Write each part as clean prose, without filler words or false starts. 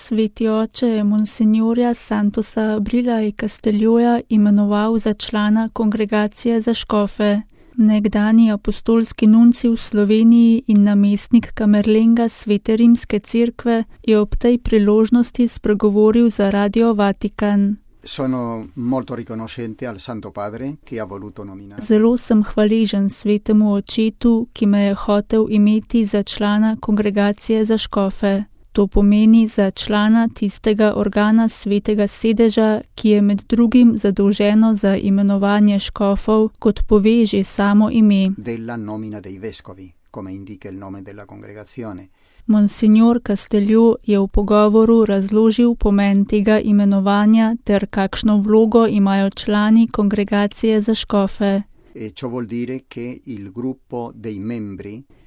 Sveti oče je monsignorja Santosa Abrila i Castelloja imenoval za člana kongregacije za škofe. Nekdani apostolski nunci v Sloveniji in namestnik kamerlenga Svete rimske cerkve je ob tej priložnosti spregovoril za Radio Vatikan. Zelo sem hvaležen Svetemu očetu, ki me je hotel imeti za člana kongregacije za škofe. To pomeni za člana tistega organa svetega sedeža, ki je med drugim zadolženo za imenovanje škofov, kot pove že samo ime. Monsignor Castello je v pogovoru razložil pomen tega imenovanja ter kakšno vlogo imajo člani kongregacije za škofe.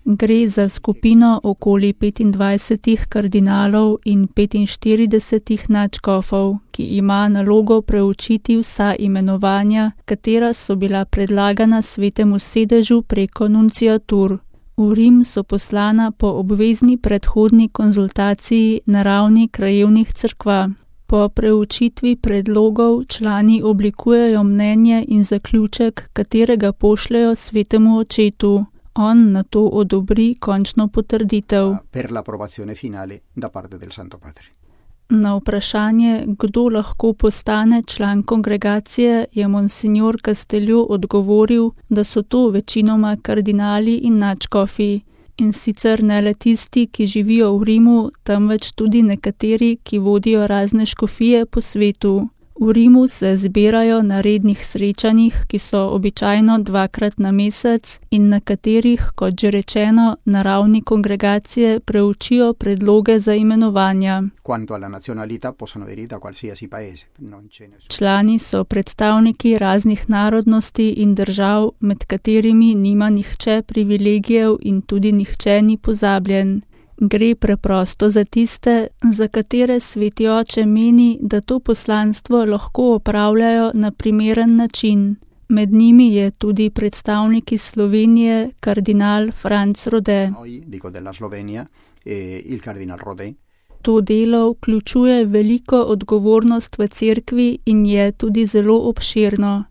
Gre za skupino okoli 25 kardinalov in 45 nadškofov, ki ima nalogo preučiti vsa imenovanja, katera so bila predlagana svetemu sedežu preko nunciatur. V Rim so poslana po obvezni predhodni konzultaciji na ravni krajevnih cerkva. Po preučitvi predlogov člani oblikujejo mnenje in zaključek, katerega pošljejo svetemu očetu. On na to odobri končno potrditev. Na vprašanje, kdo lahko postane član kongregacije, je monsignor Castello odgovoril, da so to večinoma kardinali in nadškofi. In sicer ne le tisti, ki živijo v Rimu, temveč tudi nekateri, ki vodijo razne škofije po svetu. V Rimu se zbirajo na rednih srečanjih, ki so običajno 2krat na mesec in na katerih, kot že rečeno, na ravni kongregacije preučijo predloge za imenovanja. Člani so predstavniki raznih narodnosti in držav, med katerimi nima nihče privilegijev in tudi nihče ni pozabljen. Gre preprosto za tiste, za katere Sveti oče meni, da to poslanstvo lahko opravljajo na primeren način. Med njimi je tudi predstavnik iz Slovenije, kardinal Franc Rode. To delo vključuje veliko odgovornost v cerkvi in je tudi zelo obširno.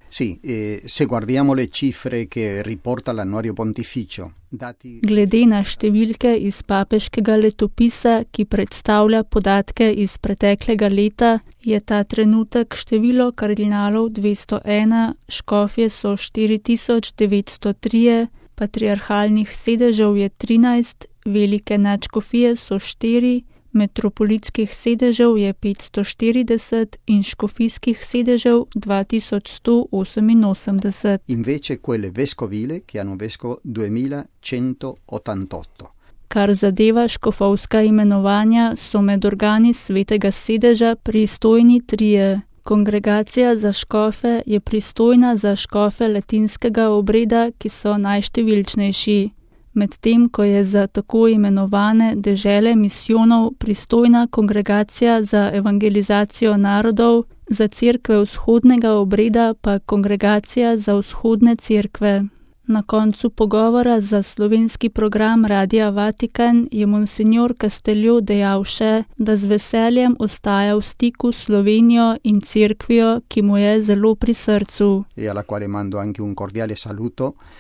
Glede na številke iz papeškega letopisa, ki predstavlja podatke iz preteklega leta, je ta trenutek število kardinalov 201, škofje so 4903, patriarhalnih sedežev je 13, velike nadškofije so 4, metropolitskih sedežev je 540 in škofijskih sedežev 2188. Invece quelle vescovile che hanno vescovo 2188. Kar zadeva škofovska imenovanja, so med organi svetega sedeža pristojni 3. Kongregacija za škofe je pristojna za škofe latinskega obreda, ki so najštevilčnejši. Medtem ko je za tako imenovane dežele misijonov pristojna kongregacija za evangelizacijo narodov, za cerkve vzhodnega obreda pa kongregacija za vzhodne cerkve. Na koncu pogovora za slovenski program Radia Vatikan je monsignor Castello dejal še, da z veseljem ostaja v stiku s Slovenijo in cerkvijo, ki mu je zelo pri srcu.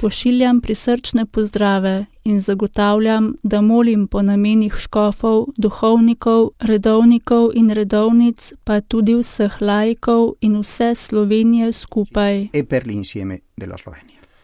Pošiljam prisrčne pozdrave in zagotavljam, da molim po namenih škofov, duhovnikov, redovnikov in redovnic, pa tudi vseh laikov in vse Slovenije skupaj. E per l'insieme della Slovenia.